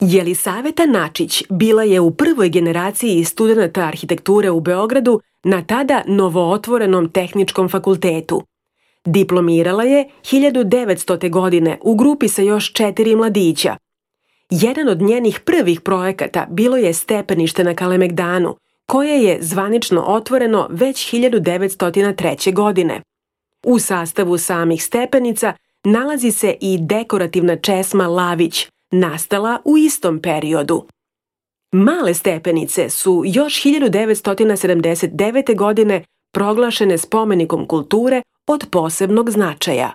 Jelisaveta Načić bila je u prvoj generaciji studenata arhitekture u Beogradu na tada novootvorenom Tehničkom fakultetu. Diplomirala je 1900. godine u grupi sa još 4 mladića. Jedan od njenih prvih projekata bilo je stepenište na Kalemegdanu, koje je zvanično otvoreno već 1903. godine. U sastavu samih stepenica nalazi se i dekorativna česma Lavić, nastala u istom periodu. Male stepenice su još 1979. godine proglašene spomenikom kulture od posebnog značaja.